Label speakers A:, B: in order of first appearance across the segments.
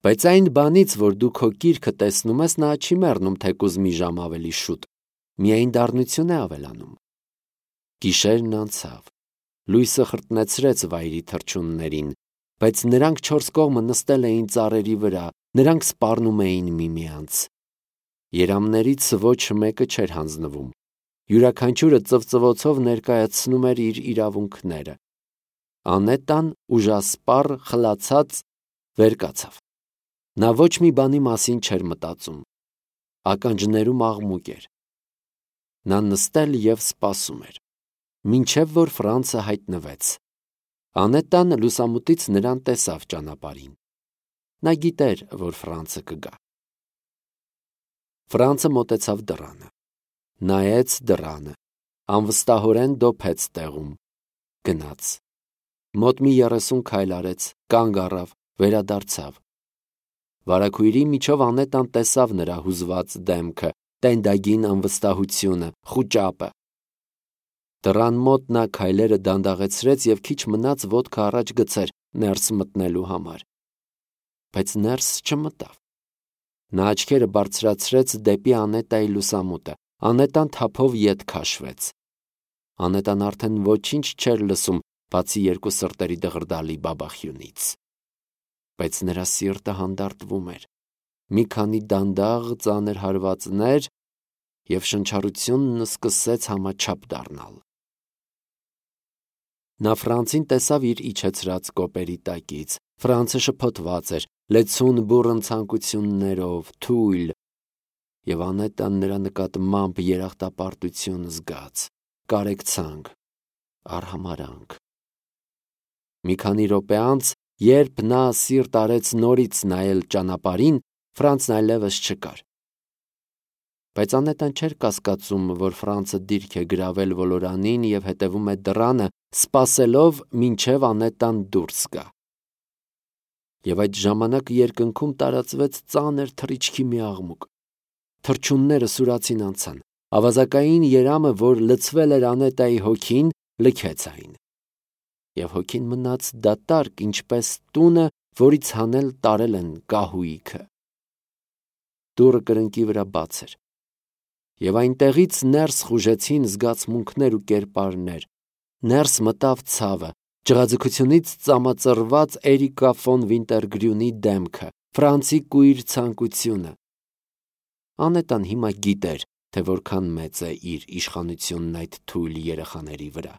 A: Բայց այն բանից, որ դու քո գիրքը տեսնում ես, նա չի մեռնում թեկուզ մի ժամ ավելի շուտ, միայն դառնություն է ավելանում։ Գիշերն անցավ, լույսը խրտնեցրեց վայրի թռչուններին, բայց նրանք չորս կողմը նստել էին ծառերի վրա, նրանք սպառնում էին միմյանց։ Երամներից ոչ մեկը չէր հանձնվում, յուրաքանչյուրը ծվծվոցով ներկայացնում էր իր իրավունքները։ Անետան ուժասպառ, խլացած վեր կացավ։ Նա ոչ մի բանի մասին չէր մտածում, ականջներում աղմուկ էր։ Նա նստել և սպասում էր, մինչև որ Ֆրանցը հայտնվեց։ Անետան լուսամուտից նրան տեսավ ճանապարհին։ Նա գիտեր, որ Ֆրանցը կգա։ Ֆրանցը մոտեցավ դռանը, նայեց դռանը, անվստահորեն դոփեց տեղում, գնաց։ Մոտ մի 30 քայլ արեց, կանգ առավ, վերադարձավ։ Վարագույրի միջով Անետան տեսավ նրա հուզված դեմքը, տենդագին անվստահությունը, խուճապը։ Դռան մոտ նա քայլերը դանդաղեցրեց և քիչ մնաց ոտքը առաջ գցեր ներս մտնելու համար։ Բայց ներս չմտավ։ Նա աչքերը բարձրացրեց դեպի Անետայի լուսամուտը։ Անետան թափով ետ քաշվեց։ Անետան արդեն ոչինչ չէր լսում, բացի երկու սրտերի դղրդալի բաբախյունից։ Բայց նրա սիրտը հանդարտվում էր։ Մի քանի դանդաղ ծանր հարվածներ, և շնչառությունն սկսեց համաչափ դառնալ։ Նա Ֆրանցին տեսավ իր իջեցրած կոպերի տակից։ Ֆրանցը շփոթված էր, լեցուն բուռն ցանկություններով, թույլ, և Անետան նրա նկատմամբ երախտապարտություն զգաց, կարեկցանք, արհամարհանք։ Մի քանի րոպե անց, երբ նա սիրտ արեց նորից նայել ճանապարհին, Ֆրանցն այլևս չկար։ Բայց Անետան չէր կասկածում, որ Ֆրանցը դիրք է գրավել ոլորանին և հետևում է դռանը, սպասելով, մինչև Անետան դուրս գա։ Եվ այդ ժամանակ երկնքում տարածվեց ծանր թռիչքի մի աղմուկ։ Թռչունները սուրացին անցան։ Ավազակային երամը, որ լցվել էր Անետայի հոգին, լքեց այն։ Եվ հոգին մնաց դատարկ, ինչպես տունը, որից հանել տարել են կահույքը։ Դուռը կրկնակի վրա բաց էր, և այնտեղից ներս խուժեցին զգացմունքներ ու կերպարներ։ Ներս մտավ ցավը, ջղաձգությունից ծամածռված Էրիկա ֆոն Վինտերգրյունի դեմքը, Ֆրանցի կույր ցանկությունը։ Անետան հիմա գիտեր, թե որքան մեծ է իր իշխանությունն այդ թույլ երեխաների վրա,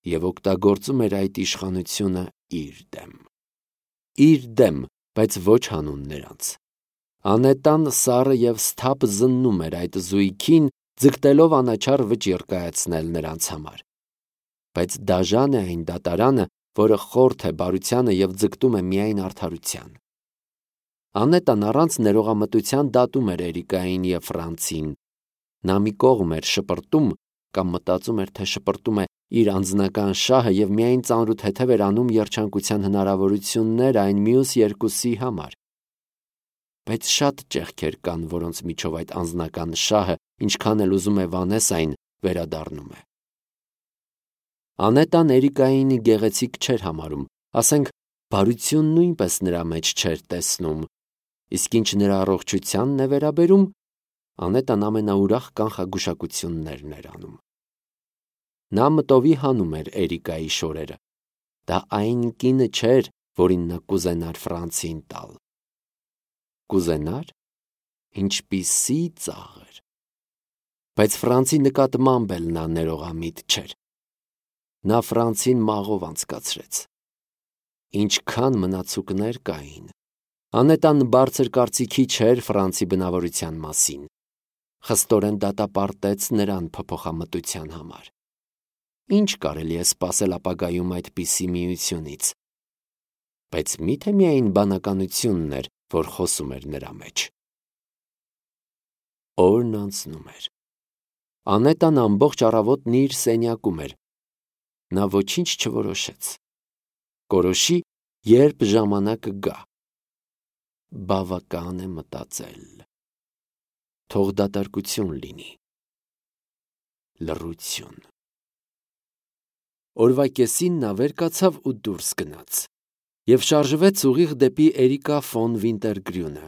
A: և օգտագործում էր այդ իշխանությունը իր դեմ։ Իր դեմ, բայց ոչ հանուն նրանց։ Անետան սառը և սթափ զննում էր այդ զույգին, ձգտելով անաչառ վճիռ կայացնել նրանց համար։ Բայց դաժան է այն դատարանը, որը խորթ է բարությանը և ձգտում է միայն արդարության։ Անետան առանց ներողամտության դատում էր Էրիկային և Ֆրանցին։ Նա մի կողմ էր շպրտում, կամ մտածում էր, թե շպրտում է իր անձնական շահը և միայն ծանրութեթև էր անում երջանկության հնարավորություններ այն մյուս երկուսի համար։ Բայց շատ ճեղքեր կան, որոնց միջով այդ անձնական շահը, ինչքան էլ ուզում է վանես այն, վերադառնում է։ Անետան Էրիկային գեղեցիկ չէր համարում, ասենք, բարություն նույնպես նրա մեջ չէր տեսնում, իսկ ինչ նրա առողջությանն է վերաբերում, Անետան ամենաուրախ կանխագուշակություններն էր անում։ Նա մտովի հանում էր Էրիկայի շորերը։ Դա այն կինը չէր, որին նա կուզենար Ֆրանցին տալ։ Կուզենար, ինչպիսի ծաղր։ Բայց Ֆրանցի նկատմամբ էլ նա ներողամիտ չէր։ Նա Ֆրանցին մաղով անցկացրեց։ Ինչքան մնացուկներ կային։ Անետան բարձր կարծիքի չէր Ֆրանցի բնավորության մասին։ Խստորեն դատապարտեց նրան փոփոխամտության համար։ Ինչ կարելի է սպասել ապագայում այդպիսի միությունից։ Բայց մի՞թե միայն բանականությունն էր, որ խոսում էր նրա մեջ։ Օրն անցնում էր։ Անետան ամբողջ առավոտն իր սենյակում էր։ Նա ոչինչ չորոշեց։ Կորոշի, երբ ժամանակը գա։ Բավական է մտածել։ Թող դատարկություն լինի։ Լռություն։ Օրվա կեսին նա վեր կացավ ու դուրս գնաց։ և շարժվեց ուղիղ դեպի Էրիկա ֆոն Վինտերգրյունը։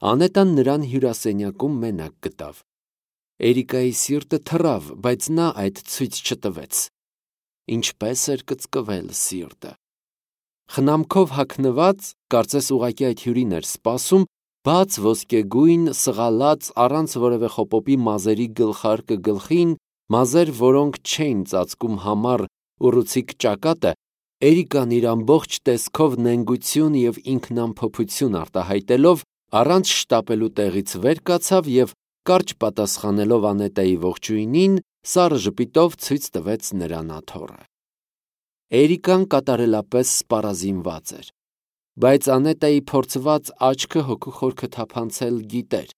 A: Անետան նրան հյուրասենյակում մենակ գտավ։ Էրիկայի սիրտը թռավ, բայց նա այդ ցույց չտվեց։ Ինչպես էր կծկվել սիրտը։ Խնամքով հագնված, կարծես ուղղակի այդ հյուրին էր սպասում, բաց ոսկեգույն, սղալած, առանց որևէ խոպոպի մազերի գլխարկը գլխին, մազեր, որոնք չէին ծածկում համառ ուռուցիկ ճակատը, Էրիկան իր ամբողջ տեսքով նենգություն և ինքնամփոփություն արտահայտելով, առանց շտապելու տեղից վեր կացավ և, կարճ պատասխանելով Անետայի ողջույնին, սառը ժպիտով ցույց տվեց նրան աթոռը։ Էրիկան կատարելապես սպառազինված էր, բայց Անետայի փորձված աչքը հոգու խորքը թափանցել գիտեր։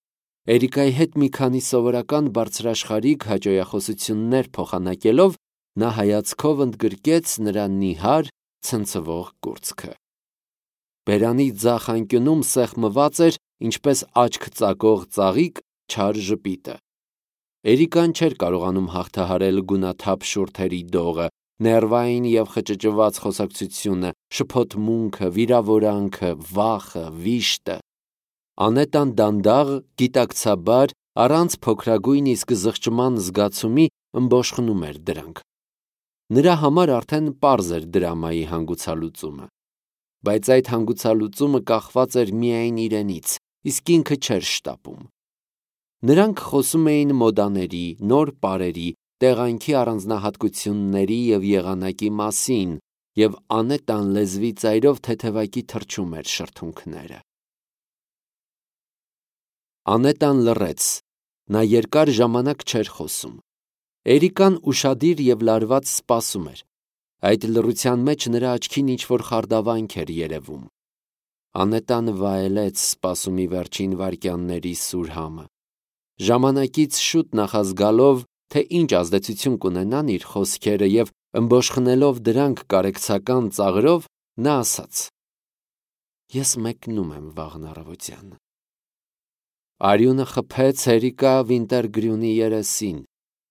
A: Էրիկայի հետ մի քանի սովորական բարձրաշխարհիկ հաճոյախոսություններ փոխանակելով, նա հայացքով ընդգրկեց նրա նիհար, ցնցվող կուրծքը։ Բերանի ձախ անկյունում սեղմված էր, ինչպես աչք ծակող ծաղիկ, չար ժպիտը։ Էրիկան չէր կարողանում հաղթահարել գունաթափ շուրթերի դողը, ներվային և խճճված խոսակցությունը, շփոթմունքը, վիրավորանքը, վախը, վիշտը։ Անետան դանդաղ, գիտակցաբար, առանց փոքրագույն իսկ զղջման զգացումի ըմբոշխնում էր դրանք։ Նրա համար արդեն պարզ էր դրամայի հանգուցալուծումը։ Բայց այդ հանգուցալուծումը կախված էր միայն իրենից, իսկ ինքը չէր շտապում։ Նրանք խոսում էին մոդաների, նոր պարերի, տեղանքի առանձնահատկությունների և եղանակի մասին, և Անետան լեզվի ծայրով թեթևակի թռչում էր շրթունքները։ Անետան լռեց, նա երկար ժամանակ չէր խոսում։ Էրիկան ուշադիր և լարված սպասում էր։ Այդ լռության մեջ նրա աչքին ինչ-որ խարդավանք էր երևում։ Անետան վայելեց սպասումի վերջին վայրկյանների սուր համը։ Ժամանակից շուտ նախազգալով, թե ինչ ազդեցություն կունենան իր խոսքերը և ըմբոշխնելով դրանք կարեկցական ծաղրով, նա ասաց. «Ես մեկնում եմ վաղն առավոտյան»։ Արյունը խփեց Էրիկա Վինտերգրյունի երեսին,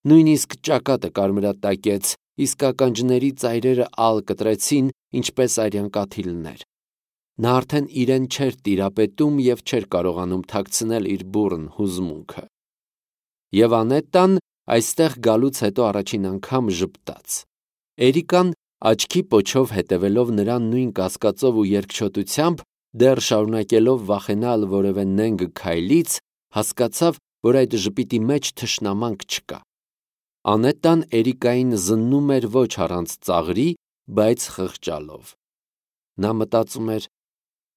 A: նույնիսկ ճակատը կարմրատակեց, իսկ ականջների ծայրերը ալ կտրեցին, ինչպես արյան կաթիլներ։ Նա արդեն իրեն չէր տիրապետում և չէր կարողանում թաքցնել իր բուռն հուզմունքը։ Եվ Անետան այստեղ գալուց հետո առաջին անգամ ժպտաց։ Էրիկան, աչքի պոչով հետևելով նրան նույն կասկածով ու երկչոտությամբ, դեռ շարունակելով վախենալ որևէ նենգ քայլից, հասկացավ, որ այդ ժպիտի մեջ թշնամանք չկա։ Անետան Էրիկային զննում էր ոչ առանց ծաղրի, բայց խղճալով։ Նա մտածում էր.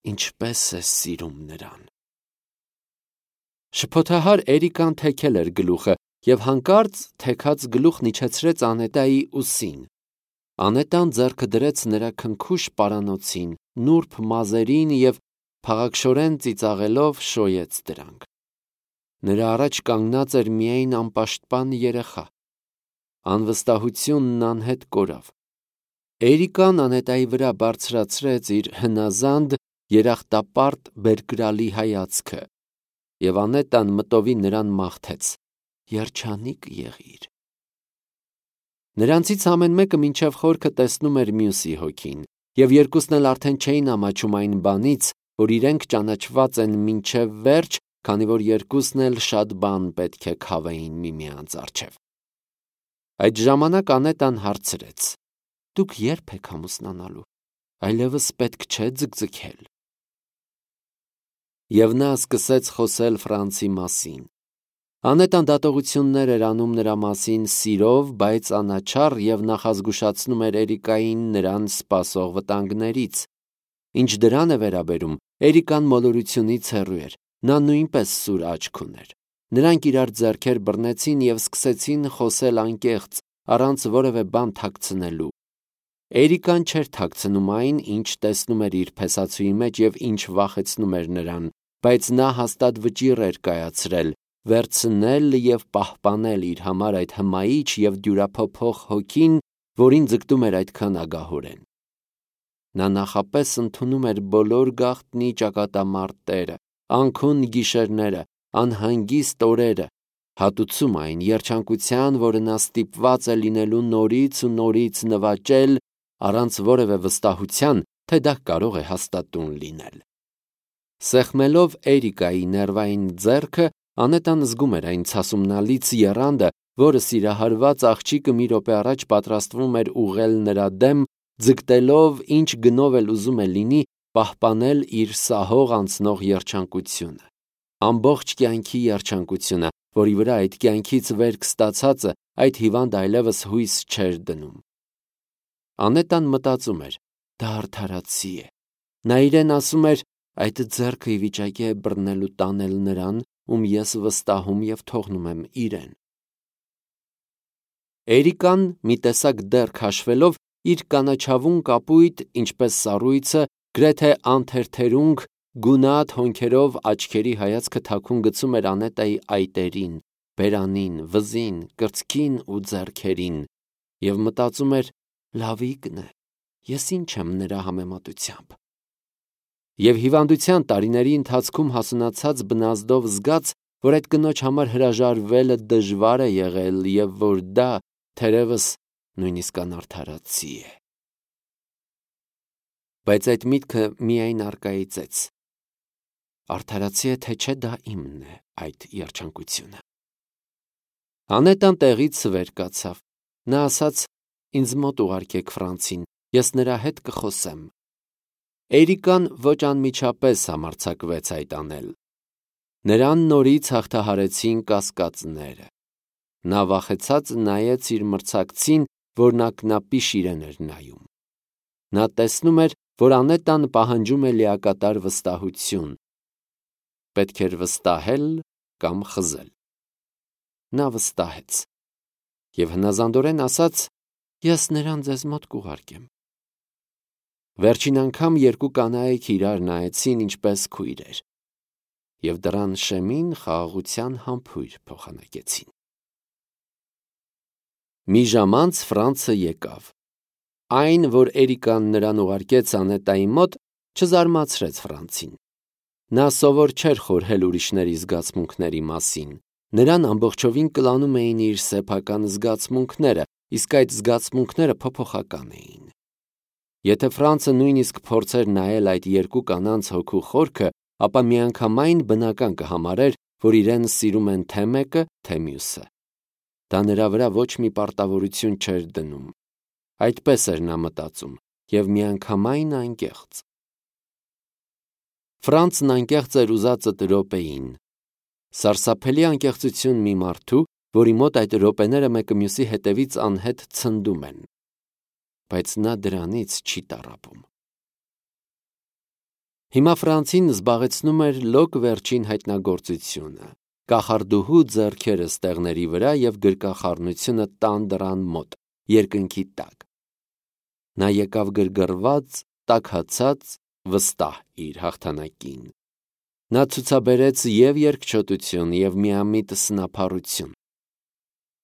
A: ինչպես է սիրում նրան։ Շփոթահար Էրիկան թեքել էր գլուխը և հանկարծ թեքած գլուխն իջեցրեց Անետայի ուսին։ Անետան ձեռքը դրեց նրա քնքուշ պարանոցին, նուրբ մազերին և փաղաքշորեն ծիծաղելով շոյեց դրանք։ Նրա առաջ կանգնած էր միայն անպաշտպան երեխա։ Անվստահությունն անհետ կորավ։ Էրիկան Անետայի վրա բարձրացրեց իր հնազանդ, երախտապարտ բերկրալի հայացքը, և Անետան մտովի նրան մաղթեց. «Երջանիկ եղիր»։ Նրանցից ամեն մեկը մինչև խորքը տեսնում էր մյուսի հոգին, և երկուսն էլ արդեն չէին ամաչում այն բանից, որ իրենք ճանաչված են մինչև վերջ, քանի որ երկուսն էլ շատ բան պետք է քավեին միմյանց առջև։ Այդ ժամանակ Անետան հարցրեց. «Դուք ե՞րբ եք ամուսնանալու, այլևս պետք չէ ձգձգել»։ Եվ նա սկսեց խոսել Ֆրանցի մասին։ Անետան դատողություններ էր անում նրա մասին սիրով, բայց անաչառ և նախազգուշացնում էր Էրիկային նրան սպասող վտանգներից։ Ինչ դրան է վերաբերում, Էրիկան մոլորությունից հեռու էր, նա նույնպես սուր աչք ուներ։ Նրանք իրար ձեռքեր բռնեցին և սկսեցին խոսել անկեղծ, առանց որևէ բան թաքցնելու։ Էրիկան չէր թաքցնում այն, ինչ տեսնում էր իր փեսացուի մեջ և ինչ վախեցնում էր նրան, բայց նա հաստատ վճիռ էր կայացրել, վերցնել և պահպանել իր համար այդ հմայիչ և դյուրափոփող հոգին, որին ձգտում էր այդքան ագահորեն։ Նա նախապես ընդունում էր բոլոր գաղտնի ճակատամարտերը, անքուն գիշերները, անհանգիստ օրերը, հատուցում այն երջանկության, որը նա ստիպված է լինելու նորից ու նորից նվաճել, առանց որևէ վստահության, թե դա կարող է հաստատուն լինել։ Սեղմելով Էրիկայի ներվային ձեռքը, Անետան զգում էր այն ցասումնալից եռանդը, որը սիրահարված աղջիկը մի րոպե առաջ պատրաստվում էր ուղղել նրա դեմ, ձգտելով ինչ գնով էլ ուզում է լինի պահպանել իր սահող անցնող երջանկությունը։ Ամբողջ կյանքի երջանկությունը, որի վրա այդ կյանքից վերք ստացածը այդ հիվանդ այլևս հույս չէր դնում։ Անետան մտածում էր. դա արդարացի է։ Նա իրեն ասում էր, այդ ձեռքը ի վիճակի է բռնել ու տանել նրան, ում ես վստահում և թողնում եմ իրեն։ Էրիկան մի տեսակ դեռ քաշվելով իր կանաչավուն կապույտ, ինչպես սառույցը, գրեթե անթերթերունգ, գունատ հոնքերով աչքերի հայացքը թաքուն գցում էր Անետայի այտերին, բերանին, վզին, կրծքին ու ձեռքերին և մտածում էր. լավիկն է, ես ինչ եմ նրա համեմատությամբ։ Եվ հիվանդության տարիների ընթացքում հասունացած բնազդով զգաց, որ այդ կնոջ համար հրաժարվելը դժվար է եղել և որ դա թերևս նույնիսկ անարդարացի է։ Բայց այդ միտքը միայն առկայծեց. արդարացի է, թե չէ դա իմն է այդ երջանկությունը։ Անետան տեղից վեր կացավ։ Նա ասաց. ինձ մոտ ուղարկեք Ֆրանցին, ես նրա հետ կխոսեմ։ Էրիկան ոչ անմիջապես համարձակվեց այդ անել։ Նրան նորից հաղթահարեցին կասկածները։ Նա վախեցած նայեց իր մրցակցին, որն ակնապի շիրեն էր նայում։ Նա տեսնում էր, որ Անետան պահանջում է լիակատար վստահություն։ Պետք էր վստահել կամ խզել։ Նա վստահեց և հնազանդորեն ասաց. ես նրան ձեզ մոտ կուղարկեմ։ Վերջին անգամ երկու կանայք իրար նայեցին ինչպես քույրեր և դռան շեմին խաղաղության համբույր փոխանակեցին։ Մի ժամ անց Ֆրանցը եկավ։ Այն, որ Էրիկան նրան ուղարկեց Անետայի մոտ, չզարմացրեց Ֆրանցին։ Նա սովոր չէր խորհել ուրիշների զգացմունքների մասին։ Նրան ամբողջովին կլանում էին իր սեփական զգացմունքները, իսկ այդ զգացմունքները փոփոխական էին։ Եթե Ֆրանցը նույնիսկ փորձեր նայել այդ երկու կանանց հոգու խորքը, ապա միանգամայն բնական կհամարեր, որ իրեն սիրում են թե մեկը, թե մյուսը։ Դա նրա վրա ոչ մի պարտավորություն չէր դնում։ Այդպես էր նա մտածում և միանգամայն անկեղծ։ Ֆրանցն անկեղծ էր ուզածդ րոպեին։ Սարսափելի անկեղծություն մի մարդու, որի մոտ այդ րոպեները մեկը մյուսի հետևից անհետ ցնդում են։ Բայց նա դրանից չի տառապում։ Հիմա Ֆրանցին զբաղեցնում էր լոկ վերջին հայտնագործությունը՝ կախարդուհու ձեռքերը ստեղների վրա և գրկախառնությունը տան դռան մոտ, երկնքի տակ։ Նա եկավ գրգռված, տաքացած, վստահ իր հաղթանակին։ Նա ցուցաբերեց և երկչոտություն, և միամիտ սնափառություն։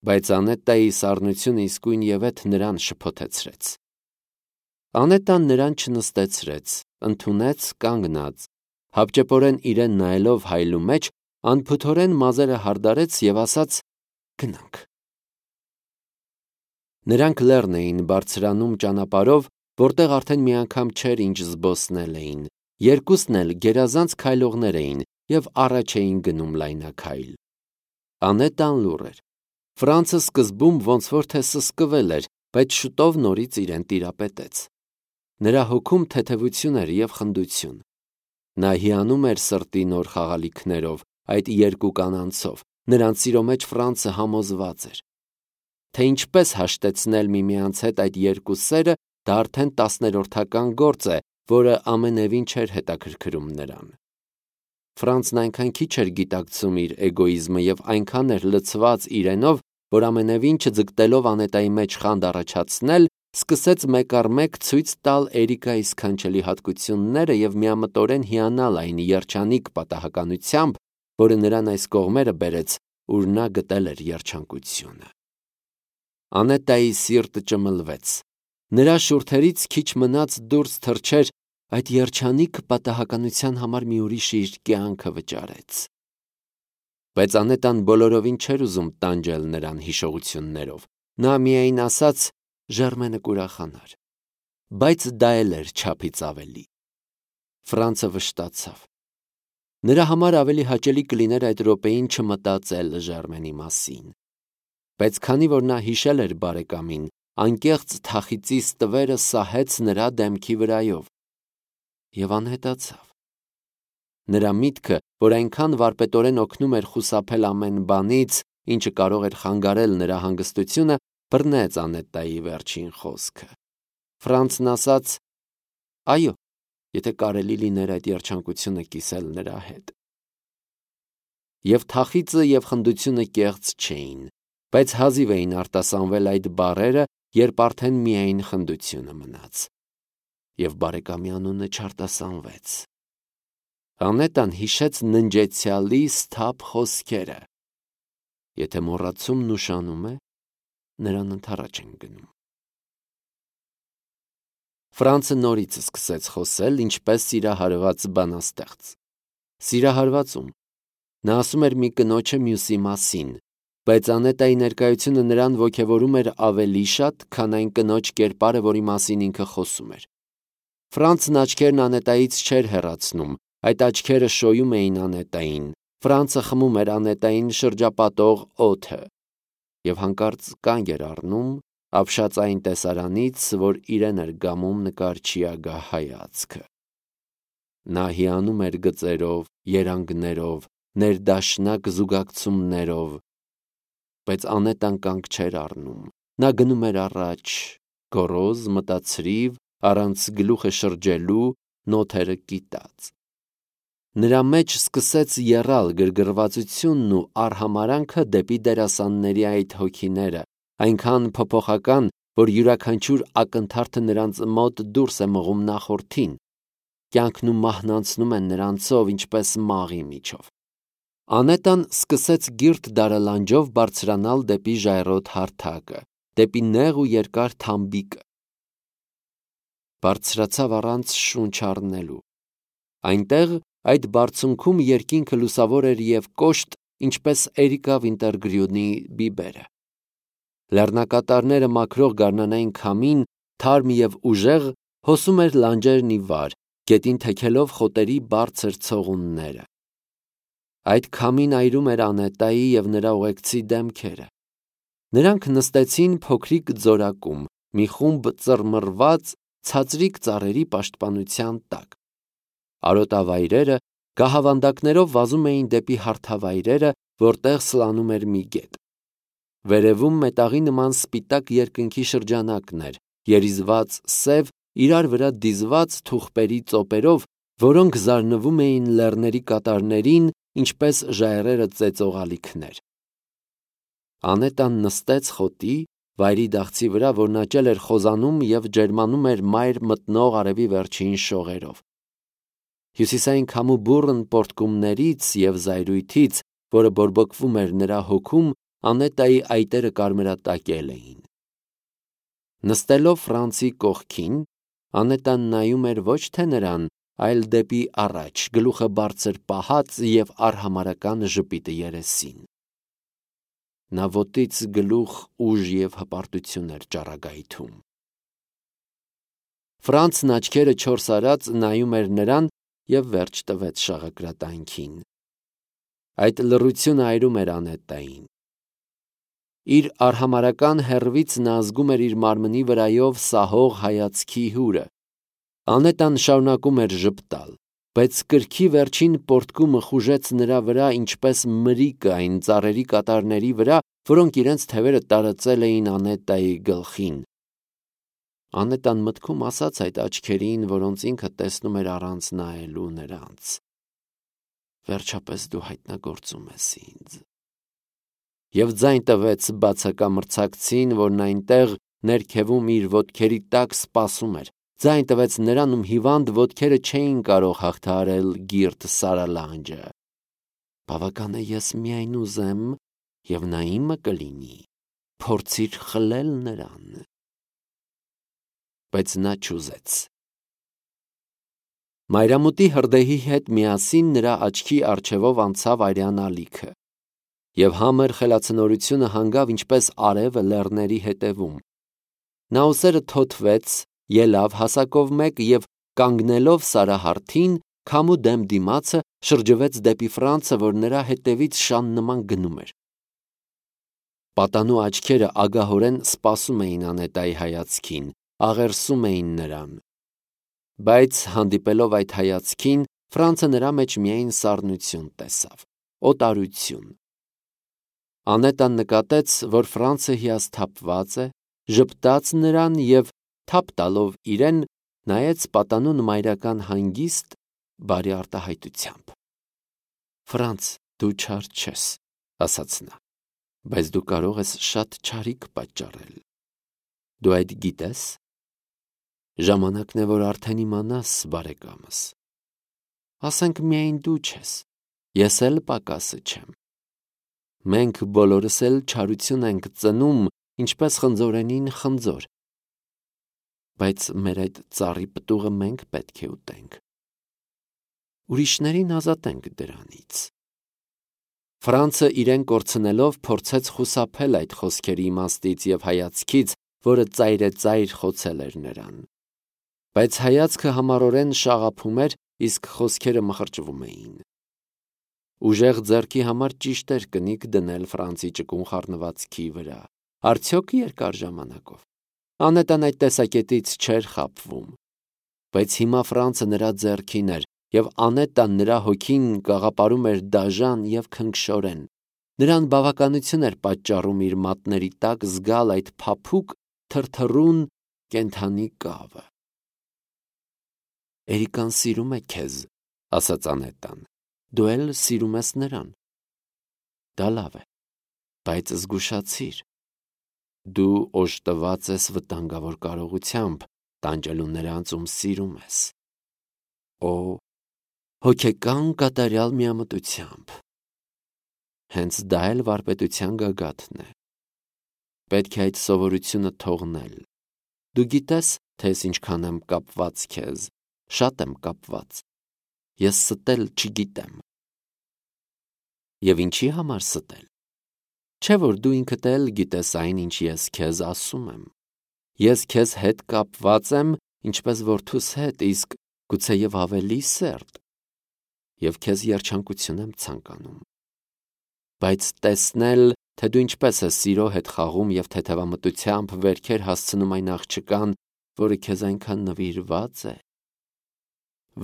A: Բայց Անետայի սառնությունը իսկույն ևեթ նրան շփոթեցրեց։ Անետան նրան չնստեցրեց, ընդունեց կանգնած, հապճեպորեն իրեն նայելով հայլու մեջ, անփութորեն մազերը հարդարեց և ասաց. գնանք։ Նրանք լեռն էին բարձրանում ճանապարհով, որտեղ արդեն մի անգամ չէր ինչ զբոսնել էին։ Երկուսն էլ գերազանց քայլողներ էին և առաջ էին գնում լայնաքայլ։ Անետան լուռ էր։ Ֆրանցը սկզբում ոնց որ թե սսկվել էր, բայց շուտով նորից իրեն տիրապետեց։ Նրա հոգում թեթևություն էր և խնդություն։ Նա հիանում էր սրտի նոր խաղալիքներով, այդ երկու կանանցով։ Նրանց սիրո մեջ Ֆրանցը համոզված էր։ Թե ինչպես հաշտեցնել միմյանց հետ այդ երկու սերը, դա արդեն 10-րդական գործ է, որը ամենևին չէր հետաքրքրում նրան։ Ֆրանցն այնքան քիչ էր գիտակցում իր էգոիզմը և այնքան էր լցված իրենով, որ ամենևին չձգտելով Անետայի մեջ խանդ առաջացնել, սկսեց մեկ առ մեկ ցույց տալ Էրիկայի սքանչելի հատկությունները և միամտորեն հիանալ այն երջանիկ պատահականությամբ, որը նրան այս կողմերը բերեց, ուր նա գտել էր երջանկությունը։ Անետայի սիրտը ճմլվեց։ Նրա շուրթերից քիչ մնաց դուրս թռչեր. այդ երջանիկ պատահականության համար մի ուրիշը իր կյանքը վճարեց։ Բայց Անետան բոլորովին չէր ուզում տանջել նրան հիշողություններով։ Նա միայն ասաց. «Ժերմենը կուրախանար»։ բայց դա էլ էր չափից ավելի։ Ֆրանցը վշտացավ։ Նրա համար ավելի հաճելի կլիներ այդ րոպեին չմտածել Ժերմենի մասին։ Բայց քանի որ նա հիշել էր բարեկամին, անկեղծ թախիծի ստվերը սահեց նրա դեմքի վրայով և անհետացավ։ Նրա միտքը, որ այնքան վարպետորեն օգնում էր խուսափել ամեն բանից, ինչը կարող էր խանգարել նրա հանգստությունը, բռնեց Անետայի վերջին խոսքը։ Ֆրանցն ասաց. «Այո, եթե կարելի լիներ այդ երջանկությունը կիսել նրա հետ»։ Եվ թախիծը և խնդությունը կեղծ չէին, բայց հազիվ էին արտասանվել այդ բառերը, երբ արդեն միայն խնդությունը մնաց։ Եվ բարեկամի անունը չարտասանվեց։ Անետան հիշեց ննջեցյալի սթափ խոսքերը. «Եթե մոռացումն ուշանում է, նրան ընդառաջ են գնում»։ Ֆրանցը նորից սկսեց խոսել, ինչպես սիրահարված բանաստեղծ։ Սիրահարվածում։ Նա ասում էր մի կնոջը մյուսի մասին, բայց Անետայի ներկայությունը նրան ոգևորում էր ավելի շատ, քան այն կնոջ կերպարը, որի մասին ինքը խոսում էր։ Ֆրանցն աչքերն Անետայից չէր հեռացնում, այդ աչքերը շոյում էին Անետային։ Ֆրանցը խմում էր Անետային շրջապատող օդը և հանկարծ կանգ էր առնում, ապշած այն տեսարանից, որ իրեն էր գամում նկարչի ագահ հայացքը։ Նա հիանում էր գծերով, երանգներով, ներդաշնակ զուգակցումներով, բայց Անետան կանգ չէր առնում։ Նա գնում էր առաջ, գոռոզ, մտացրիվ, առանց գլուխը շրջելու, նոթերը կիտած։ Նրա մեջ սկսեց եռալ գրգռվածությունն ու արհամարհանքը դեպի դերասանների այդ հոգիները, այնքան փոփոխական, որ յուրաքանչյուր ակնթարթը նրանց մոտ դուրս է մղում նախորդին, կյանքն ու մահն անցնում են նրանցով, ինչպես մաղի միջով։ Անետան սկսեց գիրտ դարալանջով բարձրանալ դեպի ժայռոտ հարթակը, դեպի նեղ ու երկար թամբիկը։ Բարձրացավ առանց շունչ առնելու։ Այնտեղ այդ բարձունքում երկինքը լուսավոր էր և կոշտ, ինչպես Էրիկա Վինտերգրյուդի բիբերը։ Լեռնակատարները մաքրող գարնանային քամին, թարմ և ուժեղ, հոսում էր լանջերն ի վար, գետին թեքելով խոտերի բարձր ցողունները։ Այդ քամին այրում էր Անետայի և նրա ուղեկցի դեմքերը։ Նրանք նստեցին փոքրիկ ձորակում, մի խումբ ծռմռված, ցածրիկ ծառերի պաշտպանության տակ։ Արոտավայրերը գահավանդակներով վազում էին դեպի հարթավայրերը, որտեղ սլանում էր մի գետ։ Վերևում մետաղի նման սպիտակ երկնքի շրջանակն էր, երիզված սև, իրար վրա դիզված թուղպերի ծոպերով, որոնք զարնվում էին լեռների կատարներին, ինչպես ժայռերը ծեծող ալիքներ։ Անետան նստեց խոտի, վայրի դահցի վրա, որն աճել էր խոզանում և ջերմանում էր մայր մտնող արևի վերջին շողերով։ Հյուսիսային քամու բուռն պոռթկումներից և զայրույթից, որը բորբոքվում էր նրա հոգում, Անետայի այտերը կարմրատակել էին։ Նստելով Ֆրանցի կողքին, Անետան նայում էր ոչ թե նրան, այլ դեպի առաջ, գլուխը բարձր պահած և արհամարհական ժպիտը երեսին։ Նա ոտից գլուխ ուժ և հպարտություն էր ճառագայթում։ Ֆրանցն աչքերը չորս արած նայում էր նրան և վերջ տվեց շաղակրատանքին։ Այդ լռությունը այրում էր Անետային։ Իր արհամարհական հեռվից նա զգում էր իր մարմնի վրայով սահող հայացքի հուրը։ Անետան շարունակում էր ժպտալ, բայց կրքի վերջին պոռթկումը խուժեց նրա վրա ինչպես մրիկը այն ծառերի կատարների վրա, որոնք իրենց թևերը տարածել էին Անետայի գլխին։ Անետան մտքում ասաց այդ աչքերին, որոնց ինքը տեսնում էր առանց նայելու նրանց. «Վերջապես դու հայտնագործում ես ինձ»։ Եվ ձայն տվեց բացակամրցակցին, որն այնտեղ ներքևում իր ոտքերի տակ սպասում էր։ Ձայն տվեց նրան, ում հիվանդ ոտքերը չէին կարող հաղթահարել գիրտ սարալանջը։ Բավական է, ես միայն ուզեմ, և նա իմը կլինի, փորձիր խլել նրան։ Բայց նա չուզեց։ Մայրամուտի հրդեհի հետ միասին նրա աչքի առջևով անցավ արյան ալիքը, և համր խելացնորությունը հանգավ ինչպես արևը լեռների հետևում։ Նա ուսերը թոթվեց, ելավ հասակով մեկ և կանգնելով սարահարթին, քամու դեմ դիմացը շրջվեց դեպի Ֆրանցը, որ նրա հետևից շան նման գնում էր։ Պատանու աչքերը ագահորեն սպասում էին Անետայի հայացքին, աղերսում էին նրան։ Բայց հանդիպելով այդ հայացքին, Ֆրանցը նրա մեջ միայն սառնություն տեսավ, օտարություն։ Անետան նկատեց, որ Ֆրանցը հիասթափված է, ժպտաց նրան և, թափ տալով իրեն, նայեց պատանուն մայրական հանգիստ, բարի արտահայտությամբ։ «Ֆրանց, դու չար չես», ասաց նա, բայց դու կարող ես շատ չարիք պատճառել։ Դու այդ գիտես։ Ժամանակն է, որ արդեն իմանաս, բարեկամս։ Ասենք միայն դու չես, ես էլ պակասը չեմ։ Մենք բոլորս էլ չարություն ենք ծնում, ինչպես խնձորենին խնձոր։ Բայց մեր այդ ծառի պտուղը մենք պետք է ուտենք։ Ուրիշներին ազատենք դրանից։ Ֆրանցը իրեն կորցնելով փորձեց խուսափել այդ խոսքերի իմաստից և հայացքից, որը ծայրեծայր խոցել էր նրան։ Բայց հայացքը համառորեն շաղափում էր, իսկ խոսքերը մխրճվում էին։ Ուժեղ ձեռքի համար ճիշտ էր կնիկ դնել Ֆրանցի ճկուն խառնվածքի վրա, արդյոք երկար ժամանակով։ Անետան այդ տեսակետից չէր խաբվում։ Բայց հիմա Ֆրանցը նրա ձեռքին էր, և Անետան նրա հոգին գաղապարում էր դաժան և քնքշորեն։ Նրան բավականություն էր պատճառում իր մատների տակ զգալ այդ փափուկ, թրթռուն կենդանի կավը։ Էրիկան սիրում է քեզ, ասաց Անետան, դու էլ սիրում ես նրան։ Դա լավ է, բայց զգուշացիր։ Դու օժտված ես վտանգավոր կարողությամբ, տանջելու նրանց, ում սիրում ես։ Օ, հոգեկան կատարյալ միամտությամբ։ Հենց դա էլ վարպետության գագաթն է։ Պետք է այդ սովորությունը թողնել։ Դու գիտես, թե ես ինչքան եմ կապված քեզ, շատ եմ կապված։ Ես ստել չգիտեմ։ Եվ ինչի համար ստել։ Չէ՞ որ դու ինքդ էլ գիտես այն, ինչ ես քեզ ասում եմ։ Ես քեզ հետ կապված եմ, ինչպես որդուս հետ, իսկ գուցեև ավելի սերտ, և քեզ երջանկություն եմ ցանկանում։ Բայց տեսնել, թե դու ինչպես ես սիրո հետ խաղում և թեթևամտությամբ վերքեր հասցնում այն աղջկան, որը քեզ այնքան նվիրված է։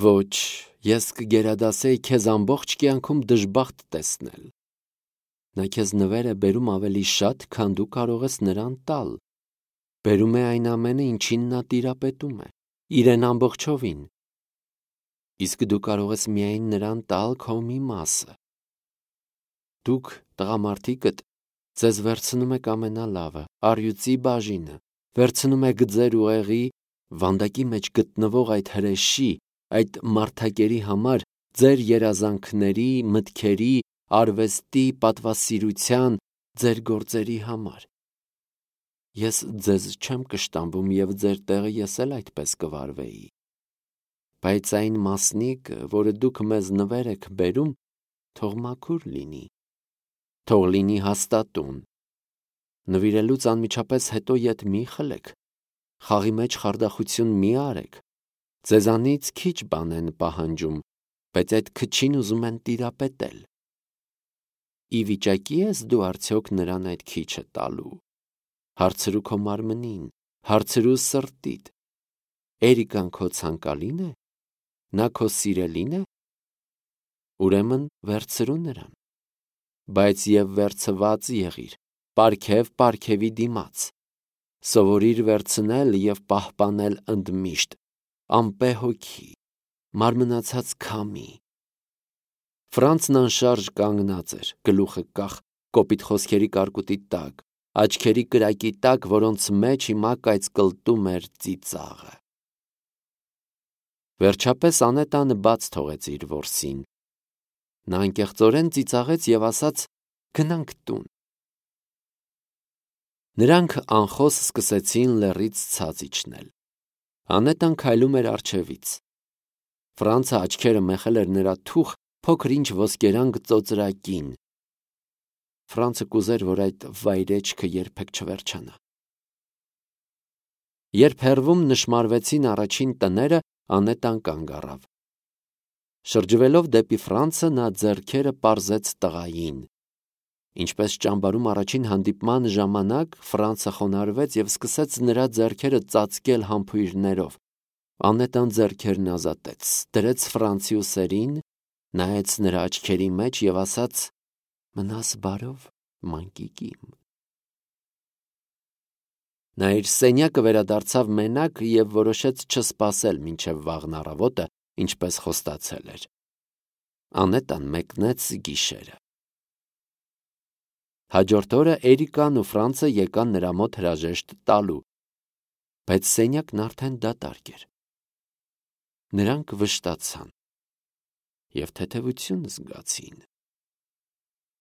A: Ոչ, ես կգերադասեի քեզ ամբողջ կյանքում դժբախտ տեսնել։ Նա քեզ նվեր է բերում ավելի շատ, քան դու կարող ես նրան տալ։ Բերում է այն ամենը, ինչին նա տիրապետում է, իրեն ամբողջովին։ Իսկ դու կարող ես միայն նրան տալ քո մի մասը։ Դուք, տղամարդիկդ, ձեզ վերցնում եք ամենալավը, առյուծի բաժինը, վերցնում եք ձեր ուղեղի, վանդակի մեջ գտնվող այդ հրեշի, այդ մարդակերի համար, ձեր երազանքների, մտքերի, արվեստի, պատվասիրության, ձեր գործերի համար։ Ես ձեզ չեմ կշտամբում և ձեր տեղը ես էլ այդպես կվարվեի։ Բայց այն մասնիկը, որը դուք մեզ նվեր եք բերում, թող մաքուր լինի, թող լինի հաստատուն։ Նվիրելուց անմիջապես հետո ետ մի խլեք, խաղի մեջ խարդախություն մի արեք։ Ձեզանից քիչ բան են պահանջում, բայց այդ քչին ուզում են տիրապետել։ Ի վիճակի ես դու արդյոք նրան այդ քիչը տալու։ Հարցրու քո մարմնին, հարցրու սրտիդ։ Էրիկան քո ցանկալի՞ն է։ Նա քո սիրելի՞ն է։ Ուրեմն վերցրու նրան։ Բայց և վերցված եղիր, պարգև պարգևի դիմաց։ Սովորիր վերցնել և պահպանել ընդմիշտ, ամպե հոգի, մարմնացած քամի։ Ֆրանցն անշարժ կանգնած էր, գլուխը կախ, կոպիտ խոսքերի կարկուտի տակ, աչքերի կրակի տակ, որոնց մեջ հիմա կայծկլտում էր ծիծաղը։ Վերջապես Անետանը բաց թողեց իր որսին։ Նա անկեղծորեն ծիծաղեց և ասաց. «Գնանք տուն»։ Նրանք անխոս սկսեցին լեռից ցած իջնել։ Անետան քայլում էր առջևից։ Ֆրանցը աչքերը մեխել էր նրա թուխ փոքր-ինչ ոսկերանգ ծոծրակին։ Ֆրանցը կուզեր, որ այդ վայրէջքը երբեք չվերջանա։ Երբ հեռվում նշմարվեցին առաջին տները, Անետան կանգ առավ։ Շրջվելով դեպի Ֆրանցը, նա ձեռքերը պարզեց տղային։ Ինչպես ճամբարում առաջին հանդիպման ժամանակ, Ֆրանցը խոնարհվեց և սկսեց նրա ձեռքերը ծածկել համբույրներով։ Անետան ձեռքերն ազատեց, դրեց Ֆրանցի ուսերին, նայեց նրա աչքերի մեջ և ասաց. «Մնաս բարով, մանկիկիմ»։ Նա իր սենյակը վերադարձավ մենակ և որոշեց չսպասել մինչև վաղն առավոտը, ինչպես խոստացել էր։ Անետան մեկնեց գիշերը։ Հաջորդ օրը Էրիկան ու Ֆրանցը եկան նրա մոտ հրաժեշտ տալու, բայց սենյակն արդեն դատարկ էր։ Նրանք վշտացան և թեթևություն զգացին։